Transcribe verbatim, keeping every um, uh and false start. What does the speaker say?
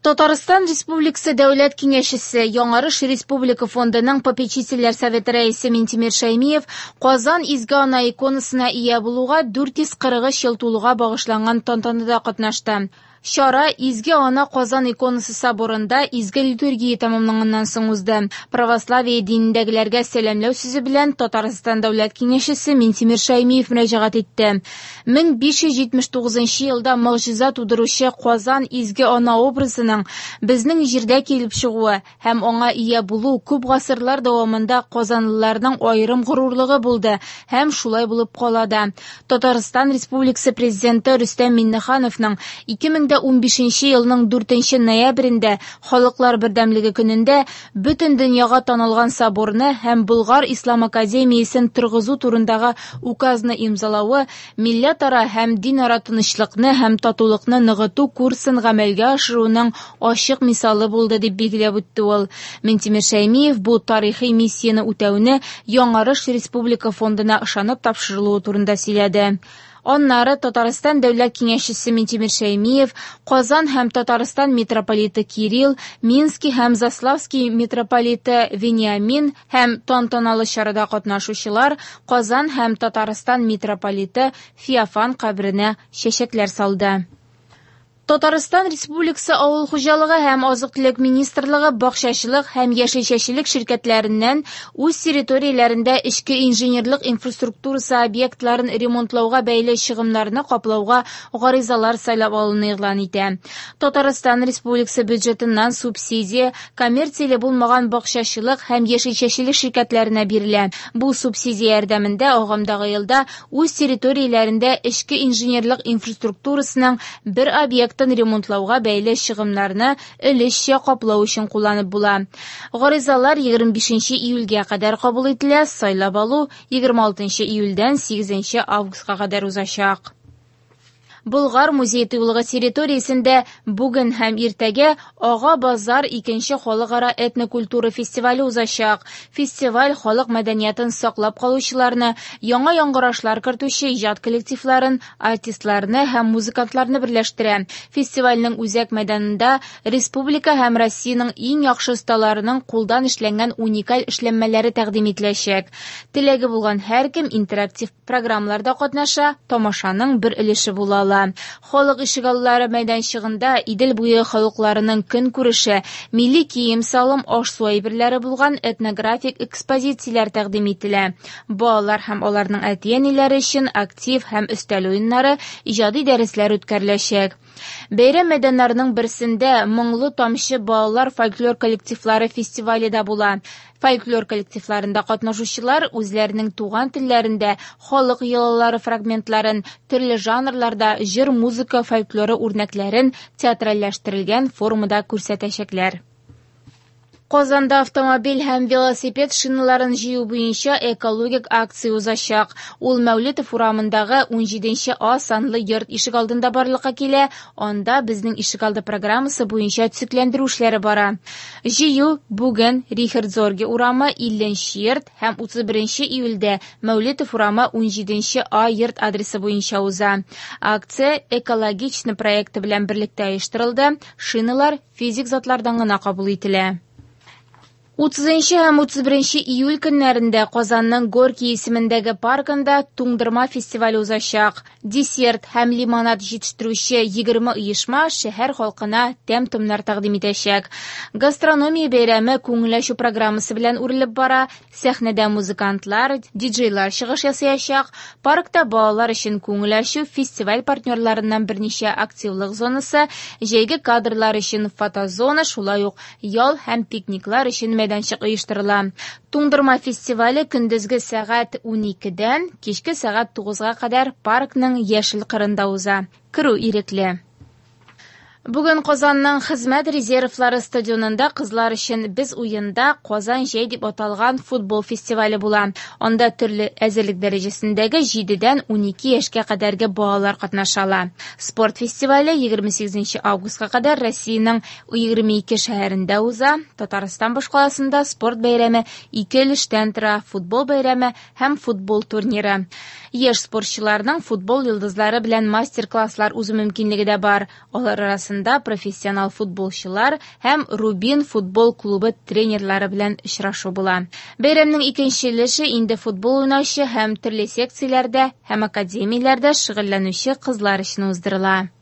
Татарстан Республикасы Дәүләт Киңәшчесе, Яңарыш Республика фондының попечительләр советы рәисе Минтимер Шәймиев Казан Изге Ана иконасына ия булуга дүрт йөз кырык өч ел тулуга багышланган тантанада катнашты. Чара Изге Ана Казан иконасы соборында изге литургия тәмамланганнан соң узды. Православие динендәгеләргә сәламләү сүзе белән Татарстан Дәүләт Киңәшчесе Минтимер Шәймиев мөрәҗәгать итте. мең биш йөз җитмеш тугызынчы елда могҗиза тудыручы Казан Изге Ана образының безнең җирдә килеп чыгуы һәм аңа ия булу күп гасырлар дәвамында казанлыларның аерым горурлыгы булды һәм шулай булып кала да. Татарстан Республикасы Президенты Рөстәм Миңнехановның ике мең унбишенче елның дүртенче ноябрендә Халыклар бердәмлеге көнендә бөтен дөньяга танылган соборны һәм Болгар Ислам академиясен торгызу турындагы указны имзалавы милләтара һәм динара тынычлыкны һәм татулыкны ныгыту курсын гамәлгә ашыруның ачык мисалы булды дип билгеләп үтте ул. Минтимер Шәймиев бу тарихи миссияне үтәүне Яңарыш Республика фондына ышанып тапшырылуы турында сөйләде. Аннары Татарстан Дәүләт Киңәшчесе Минтимер Шәймиев, Казан һәм Татарстан митрополиты Кирилл, Минский һәм Заславский митрополиты Вениамин һәм тантаналы чарада катнашучылар Казан һәм Татарстан митрополиты Феофан каберенә чәчәкләр салды. Татарстан Республикасы Авыл хуҗалыгы һәм азык-төлек министрлыгы бакчачылык һәм яшелчәчелек ширкәтләреннән үз территорияләрендә эчке инженерлык инфраструктурасы объектларын ремонтлауга бәйле чыгымнарны каплауга гаризалар сайлап алуны игълан итә. Татарстан Республикасы бюджетыннан субсидия коммерцияле булмаган бакчачылык һәм яшелчәчелек ширкәтләренә бирелә. Бу субсидия ярдәмендә агымдагы елда үз территорияләрендә эчке инженерлык инфраструктурасының бер объект ремонтлауга бәйле чыгымнарны өлешчә каплау өчен кулланып була. Гаризалар егерме бишенче июльгә кадәр кабул ителә, сайлап алу егерме алтынчы июльдән сигезенче августка кадәр узачак. Болгар музей тыюлыгы территориясендә бүген һәм иртәгә Ага базар икенче халыкара этнокультура фестивале узачак. Фестиваль халык мәдәниятен саклап калучыларны, яңа яңгырашлар кертүче иҗат коллективларын, артистларны һәм музыкантларны берләштерә. Фестивальнең үзәк мәйданында республика һәм Россиянең иң яхшы осталарының кулдан эшләнгән уникаль эшләнмәләре тәкъдим ителәчәк. Теләге булган һәркем интерактив программаларда катнаша, тамашаның бер өлеше була ала. Халык ишегаллары мәйданчыгында Идел буе халыкларының көнкүреше, милли кием-салым, аш-су әйберләре булган этнографик экспозицияләр тәкъдим ителә. Балалар һәм аларның әти-әниләре өчен актив һәм өстәл уеннары, иҗади дәресләр үткәреләчәк. Бәйрәм мәйданнарының берсендә Моңлы тамчы балалар фольклор коллективлары фестивале дә була. Фольклор коллективларында катнашучылар үзләренең туган телләрендә халык йолалары фрагментларын, төрле жанрларда җыр-музыка фольклоры үрнәкләрен театральләштерелгән формада күрсәтәчәкләр. Казанда автомобиль һәм велосипед шиналарын җыю буенча экологик акция узачак. Ул Мәүлетов урамындагы унҗиденче А санлы йорт ишегалдында барлыкка килә. Анда безнең ишегалды программасы буенча төзекләндерү эшләре бара. Җыю бүген Рихард Зорге урамы илленче йорт һәм утыз беренче июльдә Мәүлетов урамы унҗиденче А йорт адресы буенча уза. Акция экологичный проекты белән берлектә оештырылды. Шиналар физик затлардан гына кабул ителә. Утызынчы һәм утыз беренче июль көннәрендә Казанның Горький исемендәге паркында туңдырма фестивале узачак. Десерт һәм лимонад җитештерүче егерме оешма шәһәр халкына тәм-томнар тәкъдим итәчәк. Гастрономия бәйрәме күңел ачу программасы белән үрелеп бара. Сәхнәдә музыкантлар, диджейлар чыгыш ясаячак. Паркта балалар өчен күңел ачу фестиваль партнерларыннан берничә активлык зонасы, җәйге кадрлар өчен фотозона, шулай ук ял һәм пикниклар өчен мәйданчык оештырыла. Туңдырма фестивале көндезге сәгать уникедән кичке сәгать тугызга кадәр паркның яшел кырында уза. Керү ирекле. Бүген Казанның хезмәт резервлары стадионында кызлар өчен Без уенда Казан җәй дип аталган футбол фестивале була. Анда төрле әзерлек дәрәҗәсендәге җидедән унике яшькә кадәрге балалар катнаша ала. Спорт фестивале егерме сигезенче августка кадәр Россиянең егерме ике шәһәрендә уза. Татарстан башкаласында спорт бәйрәме ике өлештән тора: футбол бәйрәме һәм футбол турниры. Яшь спортчыларның футбол йолдызлары белән мастер-класслар узу мөмкинлеге дә бар. Алар арасында арасында профессионал футболчылар һәм «Рубин» футбол клубы тренерлары белән очрашу була. Бәйрәмнең икенче өлеше инде футбол уйнаучы һәм төрле секцияләрдә һәм академияләрдә шөгыльләнүче кызлар өчен уздырыла.